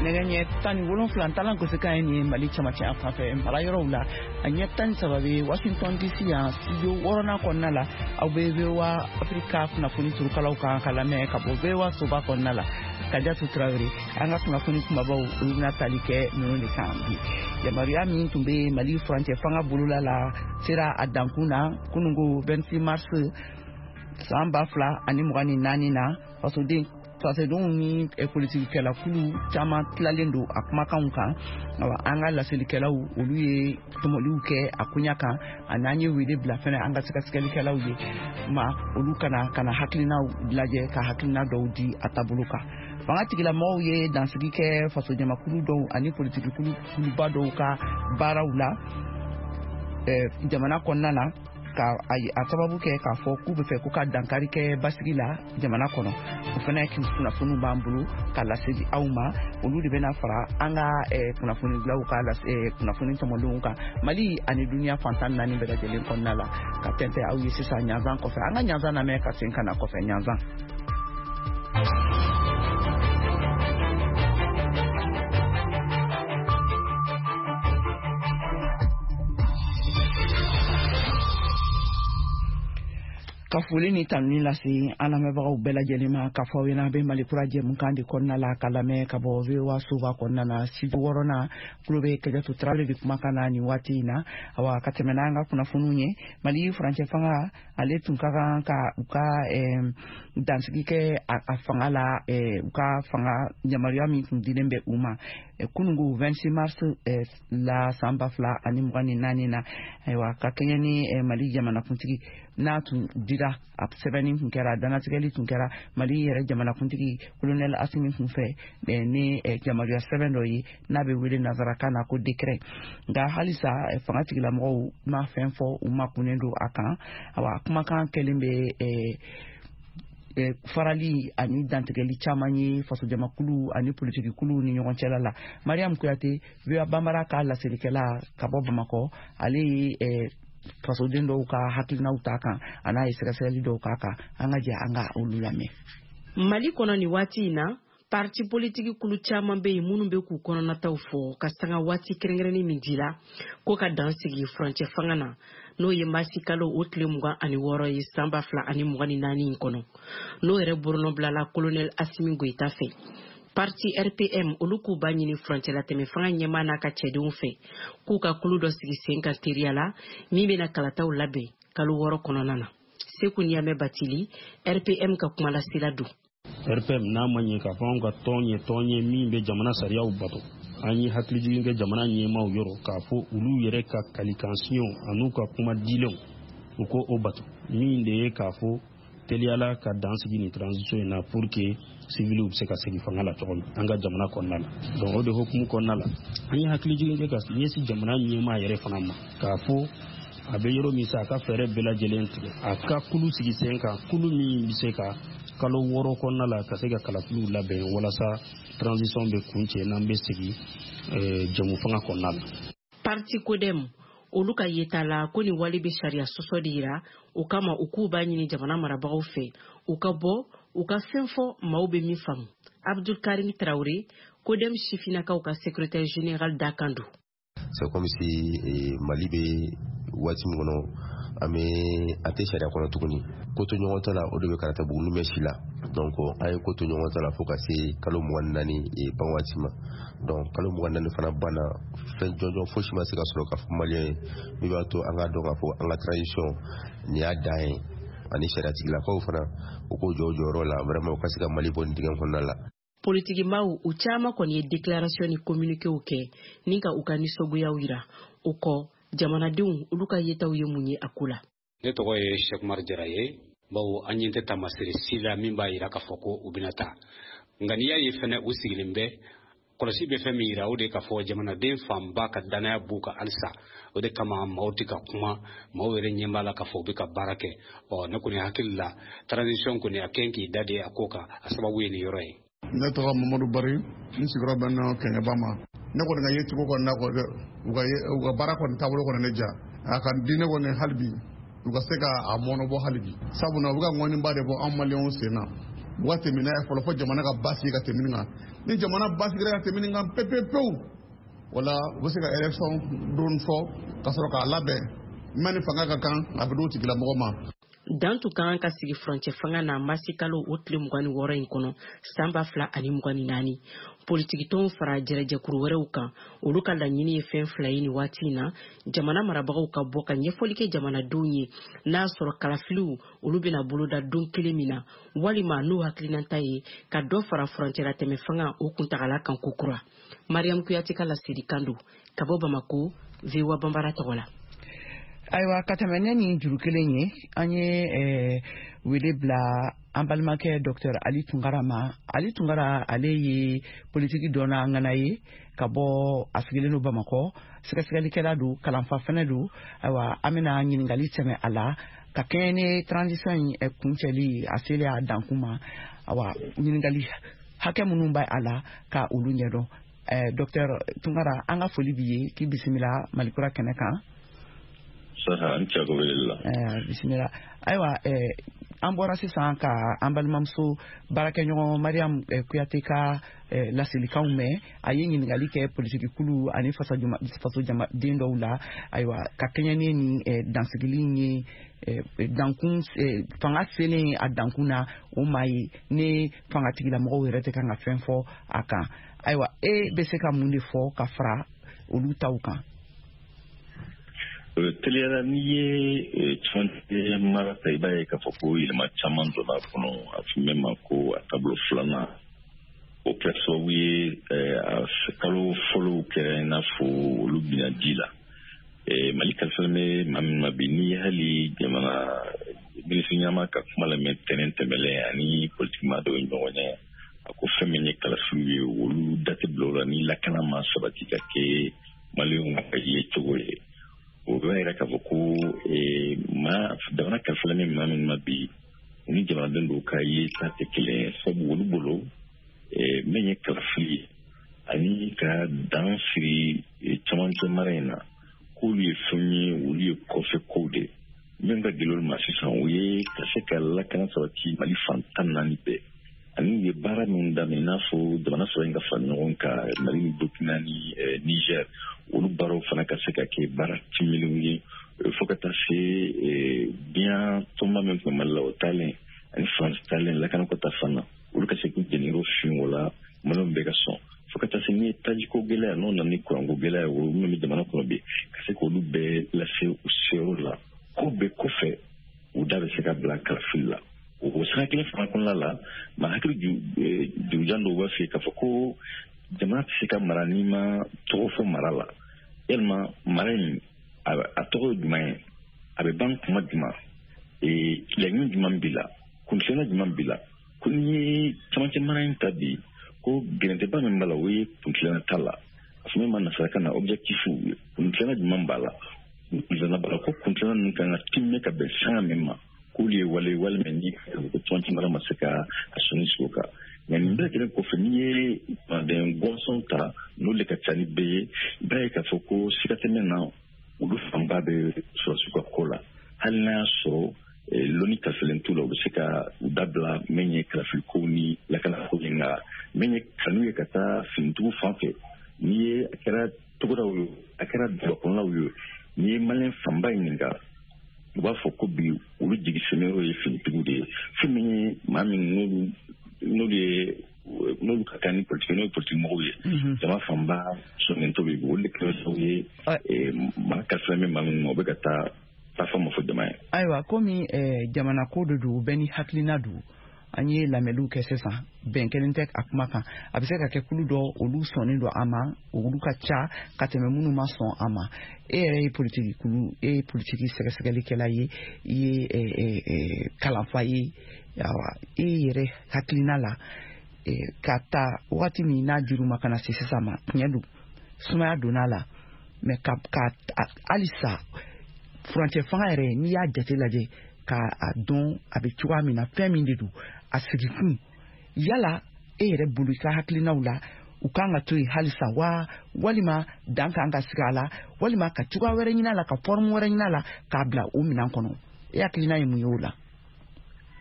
Nɛgɛ ɲɛ 17 talan gosikan ye nin ye Mali cɛmancɛ yan fan fɛ mara yɔrɔw la, a ɲɛ 13 bɛ Washington DC yan studio 6nan kɔnɔna la. Aw bɛ VOA Afrika kunnafoni turukalaw kan ka lamɛn ka bɔ VOA soba kɔnɔna la. Kajatu Tarawele, an ka kunnafoni kumabaw olu bɛna tali kɛ ninnu de kan bi. Yamaruya min tun bɛ Mali furancɛ fanga bolola la sera a dankun na kununko 26 mars san 2024 na. Fasodenw ni politikikɛlakulu caman tilalen don a kumakanw kan. Awa, an ka laselikɛlaw olu ye tɔmɔliw kɛ a koɲa kan, ani an ye wele bila fɛnɛ an ka sɛgɛsɛgɛlikɛlaw ye ma olu kana hakilinaw lajɛ ka hakilina dɔw di a taabolo kan. Fanga tigilamɔgɔw ye dansigi kɛ fasojamakulu dɔw ani politikikuluba dɔw ka baaraw la jamana kɔnɔna na, ka a sababu kɛ k'a fɔ k'u bɛ fɛ ko ka dankari kɛ basigi la jamana kɔnɔ. O fana kunnafoniw b'an bolo ka laseli aw ma, olu de bɛna fara an ka kunnafonidilaw ka kunnafoni tɔmɔlenw kan Mali ani duniya fan 14 bɛɛ lajɛlen kɔnɔna la, ka tɛntɛn aw ye sisan ɲanzan kɔfɛ. An ka ɲanzan lamɛn ka segin ka na kɔfɛ ɲanzan. Ka foli ni tanuni lase an lamɛnbagaw bɛɛ lajɛlen ma, k'a fɔ aw ɲɛna a bɛ Mali kura jɛmukan de kɔnɔna la ka lamɛn ka bɔ VOA soba kɔnɔna na studio 6nan. Tulo bɛ Kajatu Tarawele de kumakan na nin waati in na. Awa, ka tɛmɛ n'an ka kunnafoniw ye, Mali furancɛ fanga ale tun ka kan ka u ka dansigi kɛ a fanga la, u ka fanga yamaruya min tun dilen bɛ u ma kununko 26 mars la san 2024 na. Ayiwa, ka kɛɲɛ ni Mali jamanakuntigi n'a tun dira, a sɛbɛnni tun kɛra, dannatigɛli tun kɛra Mali yɛrɛ jamanakuntigi colonel Asimi tun fɛ ni yamaruya sɛbɛn dɔ ye n'a bɛ wele nanzarakan na ko décret. Nka halisa fanga tigilamɔgɔw ma fɛn fɔ, u ma kunnen don a kan. Awa, kumakan kɛlen bɛ farali ani dantigɛli caman ye fasojamakulu ani politikikulu ni ɲɔgɔn cɛla la. Mariam Kuyate, VOA Banbara ka laselikɛla ka bɔ Bamakɔ, ale ye fasoden dɔw ka hakilinaw ta kan, a n'a ye sɛgɛsɛgɛli dɔw k'a kan. An ka jɛ an ka olu lamɛn. Mali kɔnɔ nin waati in na, parti politiki kulu caman bɛ yen minnu bɛ k'u kɔnɔnataw fɔ ka sanga waati kɛrɛnkɛrɛnnen min dira ko ka dan sigi furancɛ fanga na, n'o ye marisi kalo o tile 26 ye san 2024 in kɔnɔ, n'o yɛrɛ bolonɔbilala colonel Asimi Goyita fɛ. Parti RPM olu k'u b'a ɲini furancɛlatɛmɛ fanga ɲɛmaa n'a ka cɛdenw fɛ k'u ka kulu dɔ sigi sen kan teriya la min bɛna kalataw labɛn kalo 6 kɔnɔna na. Seku Ɲamɛ Batili, RPM ka kumalasela don. RPM n'a ma ɲɛ k'a fɔ anw ka tɔn ye tɔn ye min bɛ jamana sariyaw bato, an ye hakilijigin kɛ jamana ɲɛmaaw yɔrɔ k'a fɔ olu yɛrɛ ka kalikansiɲɛw an'u ka kuma dilenw u ko o bato, min de ye k'a fɔ teliyala ka dan sigi nin transition in na pour que civiliw bɛ se ka segin fanga la cogo min an ka jamana kɔnɔna la. Donc o de hukumu kɔnɔna la, an ye hakilijigin kɛ ka ɲɛsin jamana ɲɛmaa yɛrɛ fana ma k'a fɔ a bɛ yɔrɔ min sa, a ka fɛɛrɛ bɛɛ lajɛlen tigɛ, a ka kulu sigi sen kan, kulu min bɛ se ka kalo 6 kɔnɔna la ka se ka kalafiliw labɛn walasa transition bɛ kuncɛ n'an bɛ segin jɛmu fanga kɔnɔna la. Parti CODEM olu ka yeta la ko nin wale bɛ sariya sɔsɔ de yira, o kama u k'u b'a ɲini jamana marabagaw fɛ u ka bɔ u ka fɛn fɔ maaw bɛ min faamu. Abdul Karim Traoré, CODEM sifinnakaw ka secrétaire général dakan don. C'est comme si Mali bɛ waati min kɔnɔ, an bɛ a tɛ sariya kɔnɔ tuguni. Ko to ɲɔgɔn ta la, o de bɛ karata buguni bɛ si la. Donc an ye ko to ɲɔgɔn ta la fo ka se kalo 24 ban waati ma. Donc kalo 24 fana banna, fɛn jɔnjɔn fosi ma se ka sɔrɔ k'a fɔ maliyɛn ye min b'a to an k'a dɔn k'a fɔ an ka transition nin y'a dan ye, ani sariyatigilakaw fana u k'o jɔ u jɔyɔrɔ la vraiment u ka se ka Mali bɔ nin dingɛ kɔnɔna la. Politikimaw u caman kɔni ye déclaration ni communiquéw kɛ ni ka u ka nisɔngoyaw yira. O kɔ, jamanadenw olu ka yetaw ye mun ye a ko la? Ne tɔgɔ ye Cheikh Umar Jara ye, bawo an ɲɛ tɛ taamasere si la min b'a yira k'a fɔ ko u bɛna taa. Nka n'i y'a ye fɛnɛ u sigilen bɛ, kɔlɔsi bɛ fɛn min yira, o de k'a fɔ jamanaden fanba ka danaya b'u kan halisa. O de kama maaw tɛ ka kuma, maaw yɛrɛ ɲɛ b'a la k'a fɔ u bɛ ka baara kɛ. Ɔ, ne kɔni hakili la, transition kɔni a kɛn k'i da de a ko kan, a sababu ye nin yɔrɔ ye. Ne tɔgɔ Mamadu Bari, n sigiyɔrɔ bɛn na Kɛɲɛba ma. Ne kɔni ka yecogo kɔni na kɔni, u ka baara kɔni taabolo kɔni ne diya. A ka di ne kɔni hali bi, u ka se ka a mɔnɔbɔ hali bi. Sabula u bɛ ka ŋɔniba de bɔ an maliyɛnw sen na. U ka tɛmɛ n'a ye fɔlɔ fo jamana ka basigi ka tɛmɛ nin kan. Ni jamana basigira ka tɛmɛ nin kan pewu pewu, wala u bɛ se ka élection don fɔ ka sɔrɔ k'a labɛn min ni fanga ka kan, a bɛ d'o tigilamɔgɔ ma. Dan tun ka kan ka sigi furancɛ fanga na masi kalo o tile 26 in kɔnɔ san 2024. Politikitɔnw fara jɛrɛjɛkuru wɛrɛw kan, olu ka laɲini ye fɛn fila ye nin waati in na: jamana marabagaw ka bɔ ka ɲɛfɔli kɛ jamanadenw ye n'a sɔrɔ kalafiliw olu bɛna boloda don kelen min na, walima n'u hakilinata ye ka dɔ fara furancɛlatɛmɛ fanga o kuntagala kan kokura. Mariam Kuyate ka laselikan don ka bɔ Bamako, VOA Banbara tɔgɔ la. Ayiwa, ka tɛmɛ ne ni juru kelen ye, an ye wele bila an balimakɛ Dr Ali Tunkara ma. Ali Tunkara, ale ye politiki dɔnna ŋana ye ka bɔ, a sigilen don Bamakɔ, sɛgɛsɛgɛlikɛla don, kalanfa fɛnɛ don. Ayiwa, an bɛna ɲininkali tɛmɛ a la ka kɛɲɛ ni transition in kuncɛli a selen a dankun ma. Awa, ɲininkali hakɛ minnu b'a a la ka olu ɲɛdɔn. Dr Tunkara, an ka foli b'i ye, k'i bisimila Malikura kɛnɛ kan. Saha, n cɛ ko wele la. Bisimila. Ayiwa, an bɔra sisan ka an balimamuso baarakɛɲɔgɔn Mariam Kuyate ka laselikanw mɛn. A ye ɲininkali kɛ politikikulu ani fasojamaden dɔw la. Ayiwa, ka kɛɲɛ ni nin dansigili ye, dankun fanga selen a dankun na, o maa ye ne fangatigilamɔgɔw yɛrɛ tɛ kan ka fɛn fɔ a kan. Ayiwa, e bɛ se ka mun de fɔ ka fara olu taw kan? Teliyala, n'i ye cɛmancɛ mara ta, i b'a ye k'a fɔ ko yɛlɛma caman donna a kɔnɔ. A fɔ min ma ko a taabolo filanan, o kɛra sababu ye a kalo fɔlɔw kɛra i n'a fɔ olu binna ji la. Mali kalifalen bɛ maa min ma bi, n'i ye hali jamana minisiri ɲɛma ka kuma lamɛn tɛnɛn tɛmɛlen ani politikima dɔw ye ɲɔgɔn ye, a ko fɛn min ye kalafiliw ye, olu da tɛ bila o la ni lakana ma sabati ka kɛ maliyɛnw ka ye cogo ye. O b'a yira k'a fɔ ko maa jamana kalifalen bɛ maa min ma bi, u ni jamanaden dɔw ka ye ta tɛ kelen ye, sabu olu bolo min ye kalafili ye ani ka dan siri camancɛ mara in na, k'olu ye fɛn ye, olu ye kɔfɛ kow de. Min ka gɛlɛn olu ma sisan, o ye ka se ka lakana sabati Mali fan 14 bɛɛ, ani u ye baara min daminɛ, i n'a fɔ jamana saba in ka fara ɲɔgɔn kan, Mali ni Burkina ni Niger, olu baaraw fana ka se ka kɛ baara timilenw ye, fo ka taa se diɲɛ tɔnba min tun bɛ Mali la, o taalen ani Faransi taalen lakanako ta fan na, olu ka se k'u jeniyɔrɔ fin o la, maliyɛnw bɛɛ ka sɔn, fo ka taa se ni tajiko gɛlɛya n'o nana ni kuranko gɛlɛya, o minnu bɛ jamana kɔnɔ bi, ka se k'olu bɛɛ lase u seyɔrɔ la. Ko bɛɛ kɔfɛ, u da bɛ se ka bila kalafili la. O sira kelen fana kɔnɔna la, maa hakili jurujan dɔw b'a fɛ k'a fɔ ko jamana tɛ se ka mara n'i ma tɔgɔ fɔ mara la. Yalima mara in a tɔgɔ ye jumɛn ye? A bɛ ban kuma jumɛn? Laɲini jumɛn b'i la? Kuntilenna jumɛn b'i la? Ko n'i ye camancɛ mara in ta bi, ko gɛrɛntɛba min b'a la, o ye kuntilenna t'a la. A fɔ min ma nasarakan na objectif, kuntilenna jumɛn b'a la? Kuntilenna b'a la ko kuntilenna ninnu kan ka tiimɛ ka bɛn sanga min ma, k'olu ye wale walima ni ko camancɛ mara ma se ka a sɔnni sigi o kan. Nka nin bɛɛ lajɛlen kɔfɛ, n'i ye jamanaden gɔnsɔn ta, n'olu de ka ca ni bɛɛ ye, i b'a ye k'a fɔ ko siga tɛ min na, olu fanba bɛ sɔrɔsiw ka ko la. Hali n'a y'a sɔrɔ lɔnni kalifalen t'u la, u bɛ se ka u dabila min ye kalafiliko ni lakanako ye. Nka min ye kanu ye ka taa finitigiw fan fɛ, n'i ye a kɛra togodaw ye, a kɛra dugubakɔnɔlaw ye, n'i ye maliyɛn fanba ɲininka, u b'a fɔ ko bi olu jigi sɛmɛyɔrɔ ye finitigiw de ye. Fɛn min ye maa min n'olu ye n'olu ka kan ni politiki, n'o ye politiki mɔgɔw ye, jama fanba sɔnnen t'o ye. Olu de kɛra sababu ye maa kalifalen bɛ maa minnu ma, u bɛ ka taa taa ma fɔ jama ye. Ayiwa, komi jamana ko de don, bɛɛ ni hakilina don, an ye lamɛnniw kɛ sisan, bɛn kelen tɛ a kuma kan. A bɛ se ka kɛ kulu dɔ olu sɔnnen don a ma, olu ka ca ka tɛmɛ minnu ma sɔn a ma. E yɛrɛ ye politiki kulu, e ye politiki sɛgɛsɛgɛlikɛla ye, i ye kalanfa ye. Ayiwa, e yɛrɛ hakilina la, ka ta wagati min n'a juru ma ka na se sisan ma, tiɲɛ don, sumaya donna a la, mɛ ka halisa furancɛ fanga yɛrɛ, n'i y'a jate lajɛ k'a dɔn a bɛ cogoya min na, fɛn min de don a sigikun, yala e yɛrɛ bolo, i ka hakilinaw la, u kan ka to yen halisa wa, walima dan kan ka sigi a la, walima ka cogoya wɛrɛ ɲini a la, ka forme wɛrɛ ɲini a la k'a bila o minɛn kɔnɔ? E hakilina ye mun ye o la?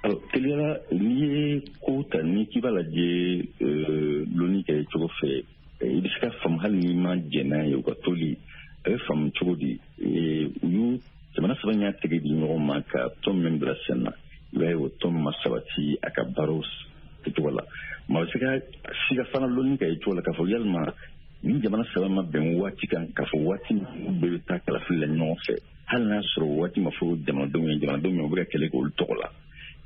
Alors, teliyala, n'i ye ko ta, ni k'i b'a lajɛ lonni kɛ cogo fɛ, i bɛ se ka faamu hali n'i ma jɛn n'a ye. U ka toli, a bɛ faamu cogo di? U y'u jamana saba y'a tɛgɛ di ɲɔgɔn ma ka tɔn min bila sen na, i b'a ye o tɔn ma sabati a ka baaraw kɛcogo la. Maa bɛ se ka siga fana lonni kɛ cogo la k'a fɔ yalima ni jamana saba ma bɛn waati kan k'a fɔ waati min bɛɛ bɛ taa kalafili la ɲɔgɔn fɛ, hali n'a sɔrɔ waati ma fɔ jamanadenw ye, jamanadenw ye u bɛ ka kɛlɛ kɛ olu tɔgɔ la.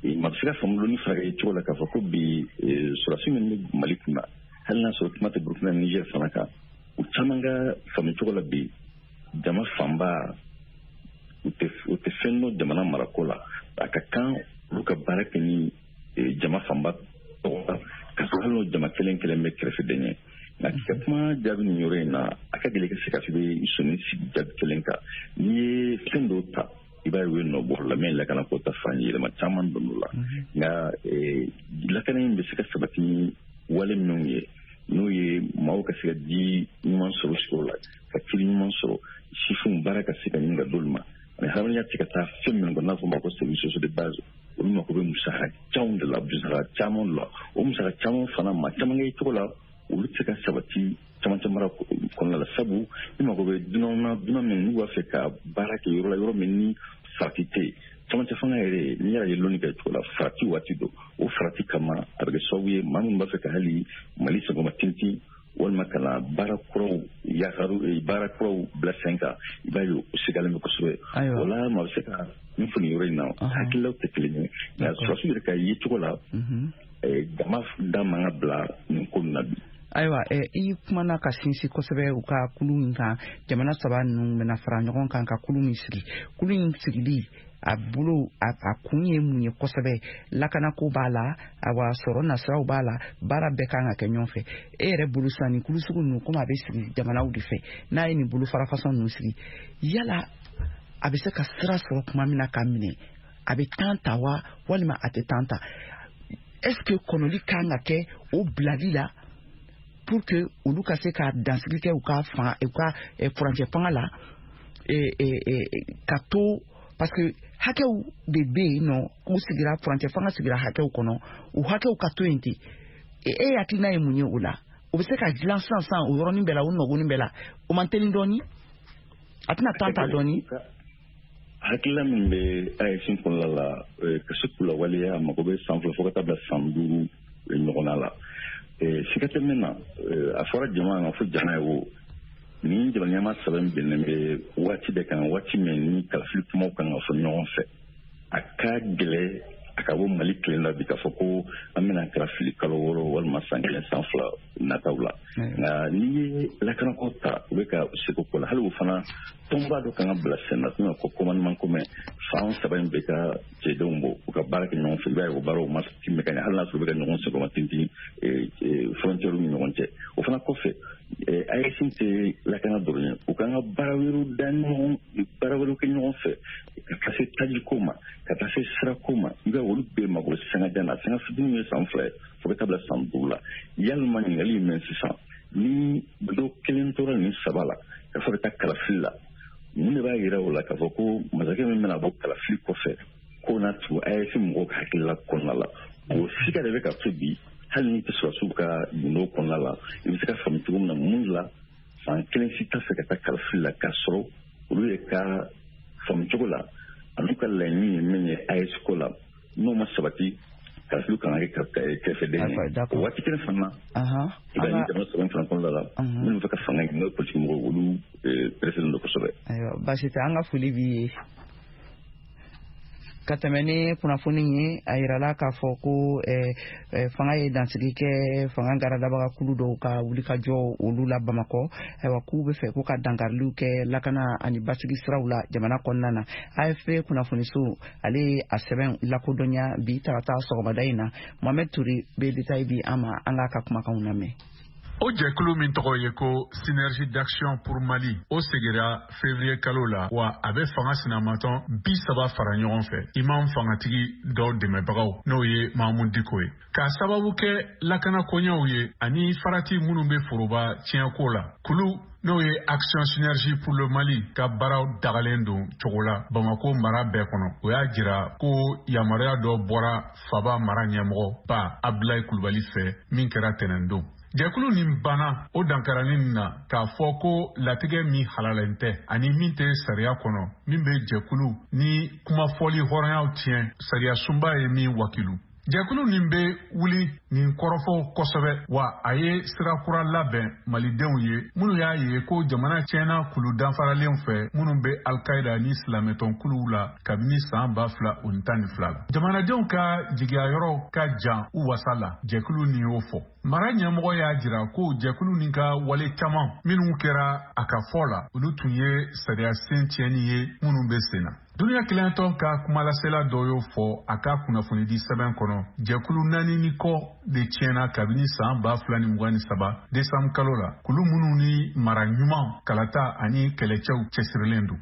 Maa bɛ se ka faamu lonni fana kɛ cogo la k'a fɔ ko bi sɔrɔdasi min bɛ Mali kunna, hali n'a sɔrɔ kuma tɛ Burukina ni Niger fana kan, u caman ka faamu cogo la bi, jama fanba u tɛ fɛn dɔn jamana marako la. A ka kan olu ka baara kɛ ni jama fanba tɔgɔ la, ka sɔrɔ hali n'o jama kelen kelen bɛ kɛrɛfɛden ye. Nka k'i ka kuma jaabi nin yɔrɔ in na, a ka gɛlɛn ka se ka fɔ i bɛ sɔnni sigi jaabi kelen kan. N'i ye fɛn dɔw ta, i b'a ye u ye nɔ bɔ la min lakana ko ta fan yɛlɛma caman donn'o la. Nka lakana in bɛ se ka sabati ni wale minnu ye, n'o ye maaw ka se ka ji ɲuman sɔrɔ sigiyɔrɔ la, ka kiri ɲuman sɔrɔ, sifinw baara ka se ka ɲini ka d'olu ma, ani hadamadenya tɛ ka taa fɛn minnu kɔ, n'a fɔ o ma ko services sociaux de base, olu mako bɛ musaka caman de la, musaka caman de la. O musaka caman fana, maa caman kɛ cogo la, olu tɛ se ka sabati camancɛ mara kɔnɔna la, sabu i mako bɛ dunanw na, dunan min n'u b'a fɛ ka baara kɛ yɔrɔ la, yɔrɔ min ni farati tɛ yen. Camancɛ fanga yɛrɛ, n'i y'a ye lonni kɛ cogo la, farati waati don. O farati kama, a bɛ kɛ sababu ye maa minnu b'a fɛ ka hali Mali senkɔrɔma tintin walima ka na baara kuraw yakaru, baara kuraw bila sen kan, i b'a ye o sigalen bɛ kosɛbɛ. O la, maa bɛ se ka min fɔ nin yɔrɔ in na, hakililaw tɛ kelen ye. Nka sɔrɔdasiw yɛrɛ ka ye cogo la, jama da man ka bila nin ko nin na bi. Ayiwa, i kumana ka sinsin kosɛbɛ u ka kulu min kan, jamana saba ninnu bɛna fara ɲɔgɔn kan ka kulu min sigi. Kulu in sigili a bolo, a kun ye mun ye kosɛbɛ? Lakanako b'a la, awa sɔrɔ nasiraw b'a la, baara bɛɛ kan ka kɛ ɲɔgɔn fɛ. E yɛrɛ bolo sisan, nin kulu sugu ninnu, komi a bɛ sigi jamanaw de fɛ, n'a ye nin bolo fara fasɔn ninnu sigi, yala a bɛ se ka sira sɔrɔ tuma min na ka minɛ, a bɛ temps ta wa, walima a tɛ temps ta? Est ce que kɔnɔli kan ka kɛ o bilali la pour que olu ka se ka dansigi kɛ u ka fan, u ka furancɛ fanga la, ka to, parce que hakɛw de bɛ yen nɔ, u sigira furancɛ fanga sigira hakɛw kɔnɔ, u hakɛw ka to yen ten? E hakilina ye mun ye o la? O bɛ se ka dilan sisan sisan o yɔrɔnin bɛɛ la, o nɔgɔnin bɛɛ la, o man teli dɔɔni, a tɛna temps ta dɔɔni? Hakilila min bɛ AES kɔnɔna la, ka se k'u lawaleya, a mago bɛ san 2 fo ka taa bila san 5 ɲɔgɔnna la. Siga tɛ min na, a fɔra jama ma fo jama ye o ni jamana ɲɛmaa saba in bɛnnen bɛ waati de kan, waati min ni kalafili kumaw kan ka fɔ ɲɔgɔn fɛ. A ka gɛlɛ a ka bɔ Mali kelen la bi k'a fɔ ko an bɛna kalafili kalo 6 walima san 1 san 2 nataw la. Nka n'i ye lakanako ta, u bɛ ka seko ko la, hali o fana tɔnba dɔ kan ka bila sen na, ko commandement commun, fan saba in bɛ ka cɛdenw bɔ, u ka baara kɛ ɲɔgɔn fɛ. I b'a ye o baaraw ma tɛmɛ ka ɲɛ, hali n'a sɔrɔ u bɛ ka ɲɔgɔn senkɔrɔma tintin frontière ni ɲɔgɔn cɛ. O fana kɔfɛ, AES tɛ lakana dɔrɔn ye, u kan ka baara wɛrɛw da ɲɔgɔn, baara wɛrɛw kɛ ɲɔgɔn fɛ, ka taa se tajiko ma, ka taa se sirako ma. I b'a ye olu bɛɛ mago bɛ sanga jan na, sanga fitinin ye san 2 ye fo ka taa bila san 5 la. Yalima ɲininkali ye min sisan, ni dɔ kelen tora nin saba la ka fɔ ka taa kalafili la, mun de b'a yira o la k'a fɔ ko masakɛ min bɛna bɔ kalafili kɔfɛ k'o na tugu AES mɔgɔw ka hakilila kɔnɔna la? O siga de bɛ ka to bi, hali n'i tɛ sɔrɔdasiw ka gundo kɔnɔna la, i bɛ se ka faamu cogo min na mun la fan kelen si t'a fɛ ka taa kalafili la, k'a sɔrɔ olu ye ka faamu cogo la an'u ka laɲini ye min ye AES ko la, n'o ma sabati, kalafili kan ka kɛ kɛrɛfɛden ye. O waati kelen fana, i b'a ye jamana saba in fana kɔnɔna la, minnu bɛ fɛ ka fanga ɲini, n'o ye politiki mɔgɔw, olu pereselen don kosɛbɛ. Ayiwa, baasi tɛ, an ka foli b'i ye. Ka tɛmɛ ni kunnafoni ye, a yirala k'a fɔ ko fanga ye dansigi kɛ fanga garadabaga kulu dɔw ka wulikajɔ olu la Bamakɔ. Ayiwa, k'u bɛ fɛ ko ka dankariliw kɛ lakana ani basigi siraw la jamana kɔnɔna na. AFP kunnafoniso ale ye a sɛbɛn lakodɔnya bi tarata sɔgɔmada in na. Mohamed Touré bɛ détail di an ma, an k'a ka kumakanw lamɛn. O jɛkulu min tɔgɔ ye ko Synergie d'action pour Mali, o sigira février kalo la, wa a bɛ fanga sinamatɔn 30 fara ɲɔgɔn fɛ, imam fangatigi dɔw dɛmɛbagaw, n'o ye Mahamudu Diko ye. K'a sababu kɛ lakana koɲɛw ye ani farati minnu bɛ foroba tiɲɛko la, kulu n'o ye Action Synergie pour le Mali ka baaraw dagalen don cogo la Bamako mara bɛɛ kɔnɔ. O y'a jira ko yamaruya dɔ bɔra faba mara ɲɛmɔgɔ ba Abdoulaye Kulubali fɛ min kɛra tɛnɛndon. Jɛkulu nin banna o dankarani nin na k'a fɔ ko latigɛ min halalen tɛ ani min tɛ sariya kɔnɔ, min bɛ jɛkulu ni kumafɔli hɔrɔnyaw tiɲɛ, sariya sunba ye min wakilu. Jɛkulu nin bɛ wuli nin kɔrɔfɔw kosɛbɛ, wa a ye sira kura labɛn malidenw ye minnu y'a ye ko jamana tiɲɛna kulu danfaralen fɛ minnu bɛ Al-Qaïda ni silamɛtɔnkuluw la kabini san 2012 la. Jamanadenw ka jigiya yɔrɔ ka jan u wasa la, jɛkulu nin y'o fɔ. Mara ɲɛmɔgɔ y'a jira ko jɛkulu nin ka wale caman minnu kɛra a ka fɔ la, olu tun ye sariya sen tiɲɛni ye minnu bɛ sen na. Duniya kelentɔn ka kumalasela dɔ y'o fɔ a ka kunnafonidi sɛbɛn kɔnɔ, jɛkulu 4 ni kɔ de tiɲɛna kabini san 2023 décembre kalo la, kulu minnu ni mara ɲuman, kalata ani kɛlɛcɛw cɛsirilen don.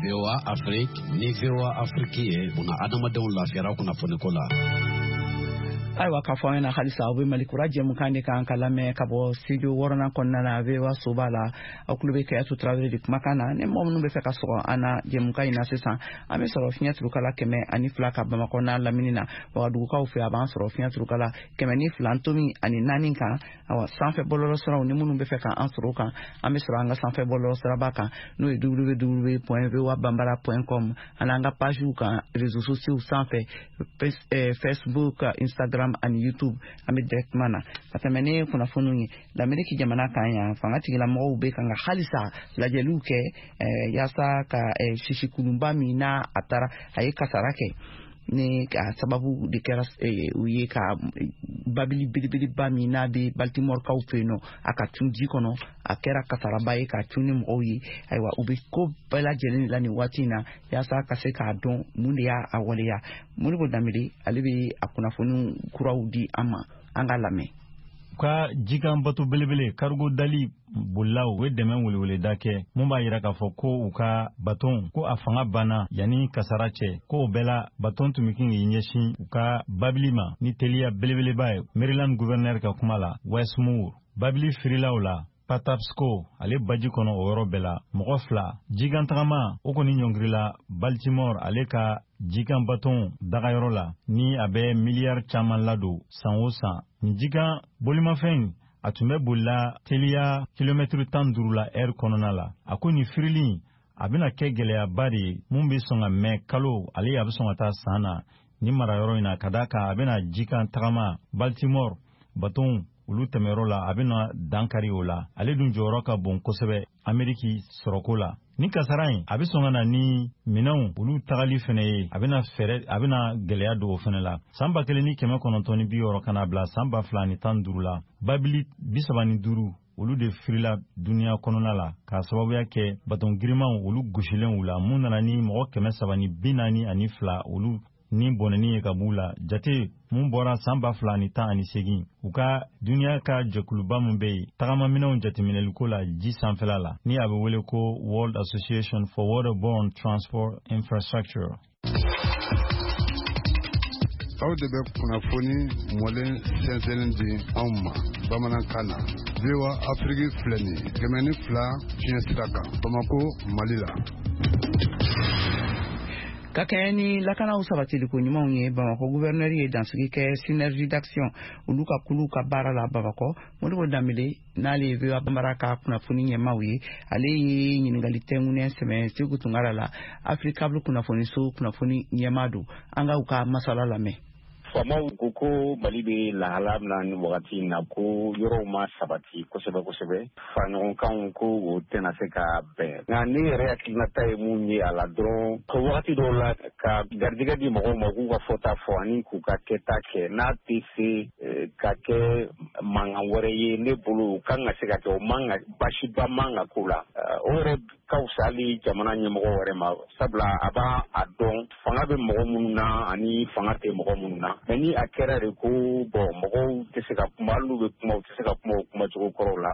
VOA Afrique ni VOA Afrique ye una adamadenw lafiyara kunnafoniko la. Ayiwa, k'a fɔ an ɲɛna halisa aw bɛ Mali kura jɛmukan de kan ka lamɛn ka bɔ studio 6nan kɔnɔna na VOA soba la. Aw tulo bɛ Kayatu Tarawele de kumakan na. Ni mɔgɔ minnu bɛ fɛ ka sɔgɔ an na jɛmukan in na sisan, an bɛ sɔrɔ fiɲɛ turukala 102 ka Bamakɔ n'a lamini na. Wagadugukaw fɛ, a b'an sɔrɔ fiɲɛ turukala 102.4 kan. Awa, sanfɛ bɔlɔlɔsiraw ni minnu bɛ fɛ k'an sɔrɔ o kan, an bɛ sɔrɔ an ka sanfɛ bɔlɔlɔsiraba kan, n'o ye www.voabambara.com, ani an ka pagew kan réseaux sociaux sanfɛ, Facebook, Instagram ani YouTube. An bɛ directement na ka tɛmɛ ni kunnafoniw ye. Lameriki jamana kan yan, fanga tigilamɔgɔw bɛ kan ka halisa lajɛliw kɛ yaasa ka sisikulunba min n'a a taara a ye kasara kɛ, ni a sababu de kɛra u ye ka babili belebeleba min n'a bɛ Baltimore-kaw fɛ yen nɔ, a ka cun ji kɔnɔ, a kɛra kasaraba ye ka cun ni mɔgɔw ye. Ayiwa, u bɛ ko bɛɛ lajɛlen de la nin waati in na yaasa ka se k'a dɔn mun de y'a waleya. Modibo Danbele, ale bɛ a kunnafoniw kuraw di an ma, an ka lamɛn. Ka jikan bato belebele cargo dali bolilaw u ye dɛmɛ weleweleda kɛ mun b'a yira k'a fɔ ko u ka baton ko a fanga banna yanni kasara cɛ, ko o bɛɛ la baton tun bɛ kin k'i ɲɛsin u ka babili ma ni teliya belebeleba ye. Maryland gouverneur ka kuma la, Westmoor, babili firilaw la Patapsco ale baji kɔnɔ o yɔrɔ bɛɛ la, mɔgɔ 2 jikantagama o kɔni ɲɔngirila Baltimore ale ka jikan baton dagayɔrɔ la ni a bɛ miliyari caman ladon san o san. Nin jikan bolimafɛn a tun bɛ bolila teliya kilomɛtiri 15 la ɛri kɔnɔna la. A ko nin firili a bɛna kɛ gɛlɛyaba de ye mun bɛ sɔn ka mɛn kalo ale a bɛ sɔn ka taa san na nin marayɔrɔ in na, ka d'a kan a bɛna jikan tagama Baltimore baton olu tɛmɛyɔrɔ la, a bɛna dankari o la. Ale dun jɔyɔrɔ ka bon kosɛbɛ Ameriki sɔrɔko la. Ni kasara in a bɛ sɔn ka na ni minɛnw olu tagali fɛnɛ ye, a bɛna fɛɛrɛ, a bɛna gɛlɛya don o fɛnɛ la. San 1960 ka na bila san 2015 la, babili 35 olu de firila duniya kɔnɔna la k'a sababuya kɛ baton girimanw olu gosilenw la, mun nana ni mɔgɔ 342 olu ni bɔnɛni ye ka b'u la. Jate mun bɔra san 2018, u ka duniya ka jɛkuluba min bɛ yen tagamaminɛnw jateminɛliko la ji sanfɛla la, ni a bɛ wele ko World Association for Waterborne Transport Infrastructure. Aw de bɛ kunnafoni mɔlen sɛnsɛnnen di anw ma bamanankan na. VOA Afrique filɛ nin ye 102 fiɲɛ sira kan Bamako, Mali la. Ka kɛɲɛ ni lakanaw sabatiliko ɲumanw ye, Bamakɔ gouverneur ye dansigi kɛ Synergie d'action olu ka kulu ka baara la Bamakɔ. Modibo Danbele, n'ale ye VOA Bambara ka kunnafoni ɲɛmaaw ye, ale ye ɲininkali tɛnkunnen sɛmɛ Segu Tunkara la, Africable kunnafoniso kunnafoni ɲɛmaa don. An ka u ka masala lamɛn. Faamaw ko ko Mali bɛ lahala min na nin wagati in na, ko yɔrɔw ma sabati kosɛbɛ kosɛbɛ, faraɲɔgɔnkanw ko o tɛna se ka bɛn. Nka ne yɛrɛ hakilinata ye mun ye a la dɔrɔn, ko wagati dɔw la ka garijɛgɛ di mɔgɔw ma k'u ka fɔta fɔ ani k'u ka kɛta kɛ, n'a tɛ se ka kɛ mankan wɛrɛ ye, ne bolo o kan ka se ka kɛ, o man ka baasiba man ka k'o la. O yɛrɛ ka fisa hali jamana ɲɛmɔgɔ wɛrɛ ma, sabula a b'a a dɔn fanga bɛ mɔgɔ minnu na ani fanga tɛ mɔgɔ minnu na. Mais ni a kɛra de ko bon, mɔgɔw tɛ se ka kuma, hali n'u bɛ kuma, u tɛ se ka kuma o kumacogo kɔrɔw la,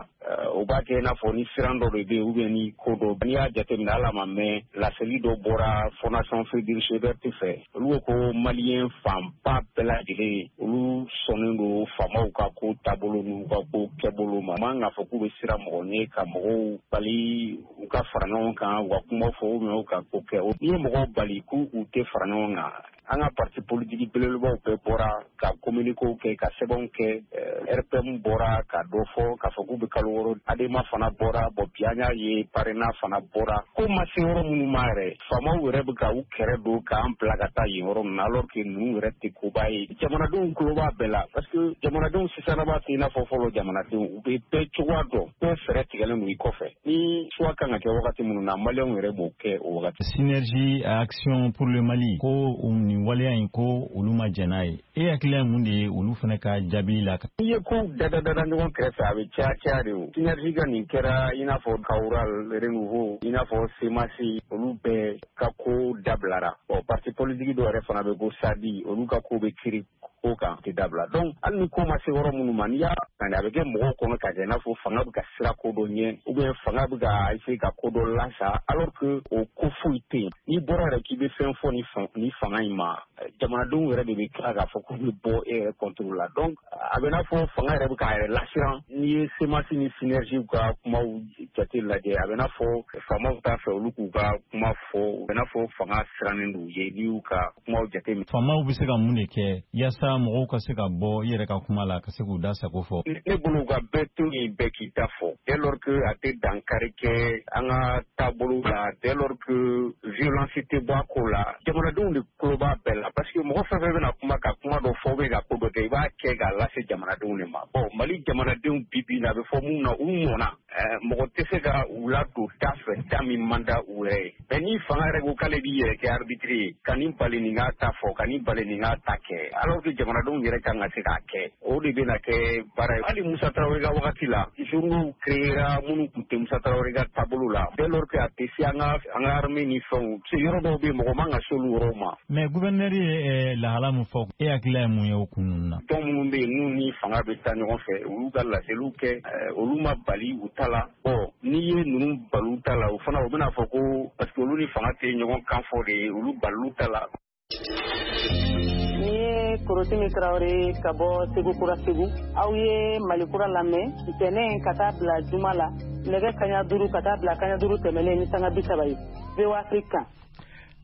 o b'a kɛ i n'a fɔ ni siran dɔ de bɛ yen ou bien ni ko dɔ. N'i y'a jateminɛ, hali a ma mɛn, laseli dɔ bɔra Fondation Friedrich Ebert fɛ. Olu ko ko Malien fanba bɛɛ lajɛlen, olu sɔnnen don faamaw ka ko taabolo n'u ka ko kɛbolo ma. Man k'a fɔ k'u bɛ siran mɔgɔ ɲɛ ka mɔgɔw bali u ka fara ɲɔgɔn kan, u ka kuma fɔ ou bien u ka ko kɛ. N'i ye mɔgɔw bali k'u u tɛ fara ɲɔgɔn kan, an ka parti politique belebelebaw bɛɛ bɔra ka communiquéw kɛ, ka sɛbɛnw kɛ. RPM bɔra ka dɔ fɔ k'a fɔ k'u bɛ kalo 6. ADEMA fana bɔra. Bon, bi an y'a ye PARENA fana bɔra. Ko ma se yɔrɔ minnu ma yɛrɛ, faamaw yɛrɛ bɛ ka u kɛrɛ don k'an bila ka taa yen yɔrɔ ninnu na, alors que ninnu yɛrɛ tɛ koba ye. Jamanadenw tulo b'a bɛɛ la, parce que jamanadenw sisanaba tɛ i n'a fɔ fɔlɔ jamanadenw. U bɛ bɛɛ cogoya dɔn, bɛɛ fɛɛrɛ tigɛlen don i kɔfɛ. Ni choix kan ka kɛ wagati minnu na, Maliyɛnw yɛrɛ b'o kɛ o wagati. Synergie Action pour le Mali ko nin waleya in, ko olu ma jɛn n'a ye. E hakilina ye mun de ye olu fana ka jaabi la? N'i ye kow dada dada ɲɔgɔn kɛrɛfɛ, a bɛ caya caya de. O Synergie ka nin kɛra i n'a fɔ Kawural, Renouveau, i n'a fɔ CMAS, olu bɛɛ ka ko dabilara. Bon, parti politique dɔw yɛrɛ fana bɛ ko SADI, olu ka ko bɛ kiiri ko kan tɛ dabila. Donc hali ni ko ma se yɔrɔ minnu ma, n'i y'a a bɛ kɛ mɔgɔw kɔnɔ ka kɛ i n'a fɔ fanga bɛ ka sira ko dɔ ɲɛ ou bien fanga bɛ ka essayer ka ko dɔ lasa, alors que o ko foyi tɛ yen. N'i bɔra yɛrɛ k'i bɛ fɛn fɔ ni fanga in ma, jamanadenw yɛrɛ de bɛ tila k'a fɔ k'u bɛ bɔ e yɛrɛ contre la. Donc a bɛ n'a fɔ fanga yɛrɛ bɛ k'a yɛrɛ lasiran. N'i ye CMAS ni Synergie ka kumaw jate lajɛ, a bɛ n'a fɔ faamaw t'a fɛ olu k'u ka kuma fɔ, u bɛ n'a fɔ fanga sirannen don u ye n'i y'u ka kumaw jate minɛ. Faamaw bɛ se ka mun de kɛ yaasa mɔgɔw ka se ka bɔ i yɛrɛ ka kuma la, ka se k'u da sago fɔ? Ne bolo, ka bɛɛ to yen, bɛɛ k'i ta fɔ, dès lors que a tɛ dankari kɛ an ka taabolo la, dès lors que violence tɛ bɔ a ko la. Jamanadenw de tulo b'a bɛɛ la, parce que mɔgɔ fɛn fɛn bɛna kuma ka kuma dɔ fɔ ou bien ka ko dɔ kɛ, i b'a kɛ k'a lase jamanadenw de ma. Bon, Mali jamanadenw bi bi in na, a bɛ fɔ mun na, u mɔnna. Mɔgɔ tɛ se ka u ladon da fɛ da min man da u yɛrɛ ye. Mais ni fanga yɛrɛ ko k'ale b'i yɛrɛ kɛ arbitre ye, ka nin bali nin k'a ta fɔ, ka nin bali nin k'a ta kɛ, alors que jamanadenw yɛrɛ kan ka se k'a kɛ, o de bɛna kɛ baara ye. Hali Musa Tarawele ka wagati la, journaux créera minnu tun tɛ Musa Tarawele ka taabolo la, dès lors que a tɛ se an ka armée ni fɛnw se, yɔrɔ dɔw bɛ yen, mɔgɔ man ka se olu yɔrɔw ma. Mais gouverneur ye lahala min fɔ, e hakilila ye mun ye o kun ninnu na? Tɔn minnu bɛ yen n'u ni fanga bɛ taa ɲɔgɔn fɛ, olu ka laseliw kɛ, olu ma bali u ta la. Bon, n'i ye ninnu bali u ta la, o fana u bɛna fɔ ko parce que olu ni fanga tɛ ɲɔgɔn kan fɔ de ye, olu balilu ta la. Ni ye Korotimi Tarawele ka bɔ Segu Kura Segu. Aw ye Mali Kura lamɛn ntɛnɛn ka taa bila juma la, nɛgɛ 17 ka taa bila 15 tɛmɛnen ni sanga 30 ye, VOA Afrique kan.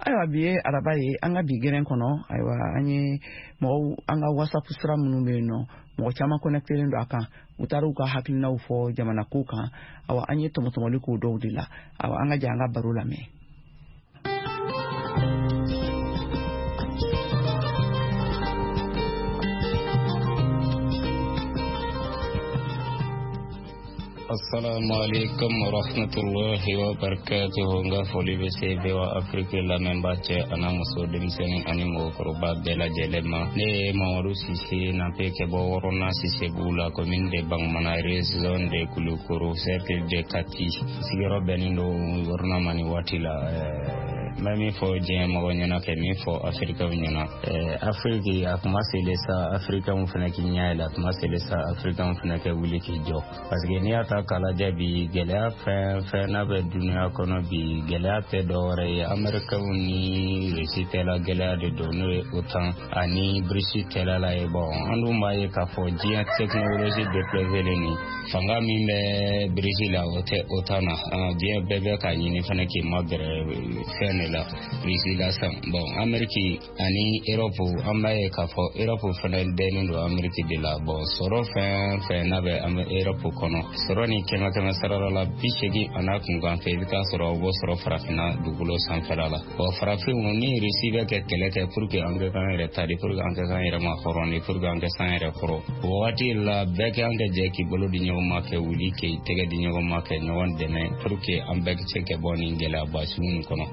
Ayiwa, bi ye araba ye. An ka bi gɛrɛn kɔnɔ, ayiwa, an ye mɔgɔw, an ka WhatsApp sira minnu bɛ yen nɔ, mɔgɔ caman connectelen don a kan, u taara u ka hakilinaw fɔ jamana ko kan. Awa, an ye tɔmɔtɔmɔli k'o dɔw de la. Awa, an ka jɛ an ka baro lamɛn. Assalamu alaikum warahmatullahi wabarakatuh. N ka foli bɛ se VOA Afrique lamɛnbaa cɛ ana muso, denmisɛnnin ani mɔgɔkɔrɔba bɛɛ lajɛlen ma. Ne ye Mamadu Sise Nape kɛ bɔ Wɔrɔna Sisebugu la, commune de Bangumana, région de Kulukoro, cercle de Kati. Sigiyɔrɔ bɛnnen don Wɔrɔna ma nin waati la. N bɛ min fɔ diɲɛ mɔgɔ ɲɛna, kɛ min fɔ Afirikaw ɲɛna, Afiriki a kuma selen sa, Afirikaw fana k'i ɲɛ yɛlɛ. A kuma selen sa, Afirikaw fana kɛ wuli k'i jɔ, parce que n'i y'a ta k'a lajɛ bi, gɛlɛya fɛn fɛn n'a bɛ duniya kɔnɔ bi, gɛlɛya tɛ dɔwɛrɛ ye, Amɛrikaw ni Rusi tɛla gɛlɛya de don, n'o ye OTAN ani BRICS tɛla la ye. Bon, an dun b'a ye k'a fɔ diɲɛ technologie développé nin, fanga min bɛ BRICS la, o tɛ OTAN na. Diɲɛ bɛɛ bɛ k'a ɲini fana k'i magɛrɛ fɛn de la, Russie la sisan. Bon, Amérique ani Europe, an b'a ye k'a fɔ Europe fana dɛnnen don Amérique de la. Bon, sɔrɔ fɛn fɛn n'a bɛ Europe kɔnɔ, sɔrɔ ni 100 100 sarala la, 80 a n'a kunkan fɛ, i bɛ taa sɔrɔ o b'o sɔrɔ farafinna dugukolo sanfɛla la. Bon, farafinw ni Russie bɛ kɛ kɛlɛ kɛ pour que an kɛ k'an yɛrɛ ta de, pour que an kɛ k'an yɛrɛ ma hɔrɔn de, pour que an kɛ san yɛrɛ kɔrɔ. O wagati la, bɛɛ kɛ an kɛ jɛ k'i bolo di ɲɔgɔn ma, kɛ wuli k'i tɛgɛ di ɲɔgɔn ma, kɛ ɲɔgɔn dɛmɛ pour que an bɛɛ se kɛ bɔ nin gɛlɛyaba sugu nin kɔnɔ.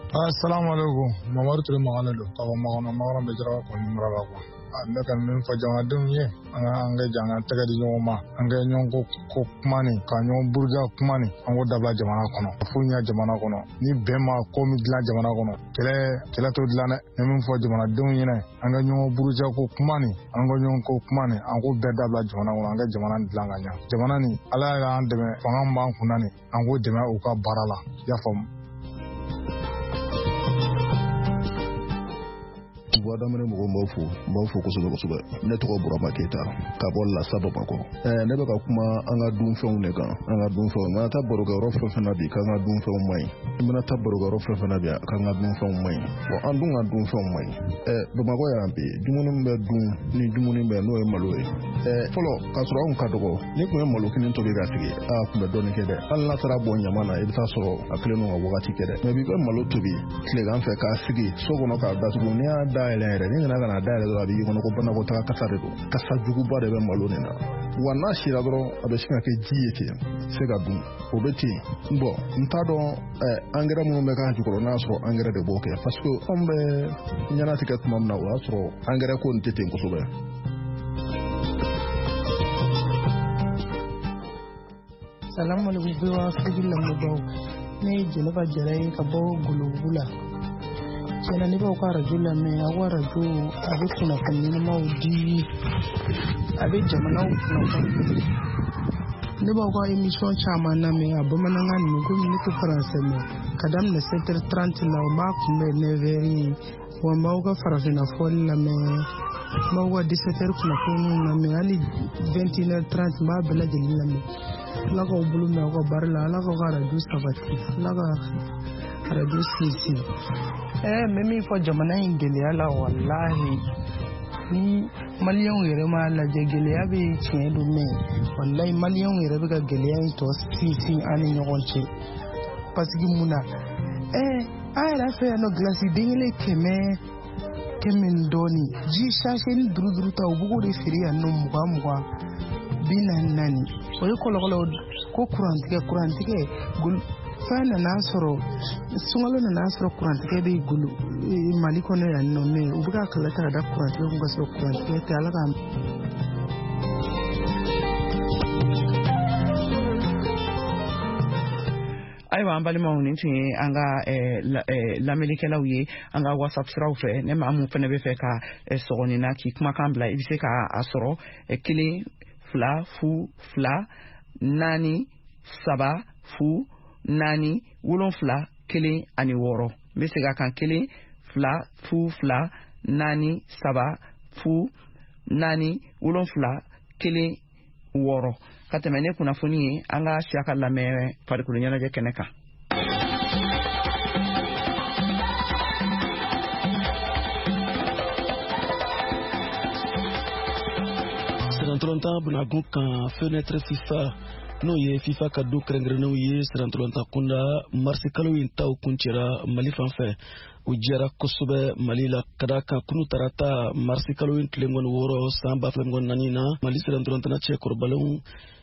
Assalamu alaikum. Mamadu Ture Magane don ka bɔ Makɔnɔ. Makɔnɔ bɛ Jaraba kɔni mara la kuwa. Ne ka min fɔ jamanadenw ye, an ka jɛ an ka tɛgɛ di ɲɔgɔn ma, an ka ɲɔgɔn ko kuma nin, ka ɲɔgɔn buruja kuma nin, an k'o dabila jamana kɔnɔ. Fo ɲɛ jamana kɔnɔ, ni bɛn ma ko min dilan jamana kɔnɔ, kɛlɛ t'o dilan dɛ. Ne min fɔ jamanadenw ɲɛna, an ka ɲɔgɔn buruja ko kuma nin, an ka ɲɔgɔn ko kuma nin, an k'o bɛɛ dabila jamana kɔnɔ, an ka jamana dilan ka ɲa. Jamana nin, Ala y'an dɛmɛ, fanga min b'an kunna nin, an k'o dɛmɛ u ka baara la. I y'a faamu. Voix d'Amérique mɔgɔw n b'aw fo, n b'aw fo kosɛbɛ kosɛbɛ. Ne tɔgɔ Burama Keyita ka bɔ Lasa Bamakɔ. Ne bɛ ka kuma an ka dunfɛnw de kan, an ka dunfɛnw. I mana taa barokɛyɔrɔ fɛn fɛn na bi k'an ka dunfɛnw man ɲi. I mana taa barokɛyɔrɔ fɛn fɛn na bi k'an ka dunfɛnw man ɲi. Bon, an dun ka dunfɛnw man ɲi. Bamakɔ yan bi, dumuni min bɛ dun ni dumuni bɛ n'o ye malo ye. Fɔlɔ k'a sɔrɔ anw ka dɔgɔ, n'i tun ye malo kelen tobi ka sigi, a tun bɛ dɔɔnin kɛ dɛ. Hali n'a taara bɔn ɲama na, i bɛ taa sɔrɔ a kelen don ka wagati kɛ dɛ. Mais bi bɛ malo tobi tilegan fɛ k'a sigi so kɔnɔ k'a datugu, n'i y'a dayɛlɛ yɛrɛ, n'i nana ka na dayɛlɛ dɔrɔn, a b'i kɔnɔ ko banakɔtaga kasa de don, kasa juguba de bɛ malo nin na. Wa n'a sira dɔrɔn, a bɛ sin ka kɛ ji ye ten, se ka dun, o bɛ ten. Bon, n t'a dɔn angɛrɛ minnu bɛ k'a jukɔrɔ, n'a y'a sɔrɔ angɛrɛ de b'o kɛ, parce que anw bɛ ɲɛnatigɛ tuma min na, o y'a sɔrɔ angɛrɛ ko nin tɛ ten kosɛbɛ. Salamu alaikum VOA Afrique lamɛnbagaw, ne ye Jɛnɛba Jara ye ka bɔ Golobugu la. Tiɲɛna ne b'aw ka arajo lamɛn, aw ka arajo a bɛ kunnafoni ɲɛnamaw di, a bɛ jamanaw kunnafoni. Ne b'aw ka émission caman lamɛn a bamanankan ninnu, komi ne tɛ faransɛ mɛn. Ka daminɛ 7h30 la, o b'a kunbɛn 9h ye. Wa n b'aw ka farafinna fɔli lamɛn, n b'aw ka 17h kunnafoniw lamɛn, hali 21h30 n b'a bɛɛ lajɛlen lamɛn. Ala k'aw bolo mɛn aw ka baara la, Ala k'aw ka arajo sabati, Ala ka arajo sinsin. N bɛ min fɔ jamana in gɛlɛya la, walahi ni maliyɛnw yɛrɛ m'a lajɛ, gɛlɛya bɛ tiɲɛ don, mɛ walahi maliyɛnw yɛrɛ bɛ ka gɛlɛya in tɔ sinsin an ni ɲɔgɔn cɛ. Parce que mun na, an yɛrɛ fɛ yan nɔ, gilasi den kelen 100 ni dɔɔnin, ji sachet ni 5 ta, u b'o de feere yan nɔ 20 20, 44. O ye kɔlɔlɔ ko kurantigɛ fɛn nana sɔrɔ, sunkalo nana sɔrɔ kurantigɛ bɛ golo Mali kɔnɔ yan nɔ, mɛ u bɛ ka kɛlɛ ta ka da kurantigɛ kun ka sɔrɔ kurantigɛ tɛ. Ala ka Ayiwa an balimaw, nin tun ye an ka lamɛnnikɛlaw ye an ka WhatsApp siraw fɛ. Ne maa mun fana bɛ fɛ ka sɔgɔnin na k'i kumakan bila, i bɛ se ka a sɔrɔ 1 2 0 2 4 3 0 4 7 1 ani 6. N bɛ segin a kan, 1 2 0 2 4 3 0 4 7 1 6. Ka tɛmɛ ne kunnafoni ye, an ka siya ka lamɛn farikolo ɲɛnajɛ kɛnɛ kan. Sirantɔlɔntan bunagun kan, fenêtre FIFA, n'o ye FIFA ka don kɛrɛnkɛrɛnnenw ye sirantɔlɔntan kunda, marisi kalo in taw kuncɛra Mali fan fɛ. O diyara kosɛbɛ Mali la ka d'a kan kunu tarata marisi kalo in tile 26 san 2024 na, Mali sirantɔlɔntanna cɛkɔrɔbalenw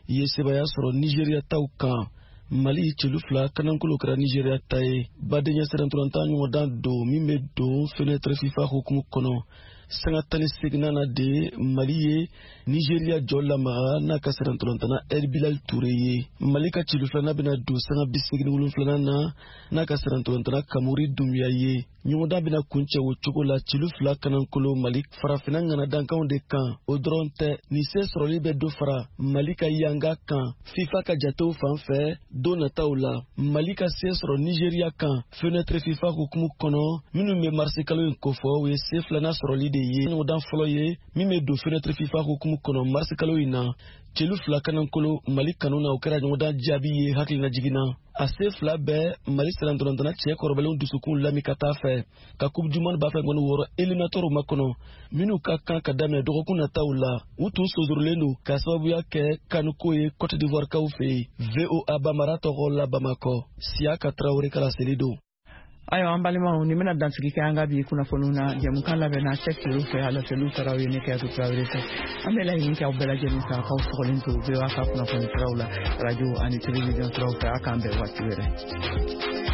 ye sebaaya sɔrɔ Nizeriya taw kan. Mali celu 2 kanankolo kɛra Nizeriya ta ye. Badenya sirantɔlɔntan ɲɔgɔndan don min bɛ don fenêtre FIFA hukumu kɔnɔ. Sanga 18 na de Mali ye Nizeriya jɔ lamaga n'a ka sirantɔlɔntanna El Bilal Toure ye. Mali ka celu filanan bɛna don sanga 87 na n'a ka sirantɔlɔntanna Kamori Dunbiya ye. Ɲɔgɔndan bɛna kuncɛ o cogo la, celu 2 kanankolo Mali farafinna ŋanadankanw de kan. O dɔrɔn tɛ, nin se sɔrɔli bɛ dɔ fara Mali ka yanga kan FIFA ka jatew fan fɛ don nataw la. Mali ka se sɔrɔ Nizeriya kan fenêtre FIFA hukumu kɔnɔ, minnu bɛ marisi kalo in kofɔ, o ye se filanan sɔrɔli de ye ɲɔgɔndan fɔlɔ ye min bɛ don fenêtre FIFA hukumu kɔnɔ marisi kalo in na. Celu 2 kanankolo Mali kanu na, o kɛra ɲɔgɔndan jaabi ye hakilina na. A se 2 bɛɛ Mali sirantɔlɔntanna cɛ kɔrɔbalenw dusukun lami ka taa fɛ ka coupe du monde 2026 éliminatoire makɔnɔ, minnu ka kan ka daminɛ dɔgɔkun nataw la. U tun sonsorolen don k'a sababuya kɛ kanuko ye Cote d'Ivoire kaw fɛ yen. VOA Bamara tɔgɔ la Bamakɔ, Siyaka Tarawele ka laseli don. Ayiwa an balimaw, nin bɛna dansigi kɛ an ka bi kunnafoniw na. Jɛmukan labɛnna Sɛki Ture fɛ, a laseliw taara ye ne Kɛyatu Tarawele fɛ. An bɛ laɲini kɛ aw bɛɛ lajɛlen fɛ, k'aw sɔgɔlen to VOA ka kunnafoni siraw la, radio ani télévision siraw fɛ. A k'an bɛn waati wɛrɛ.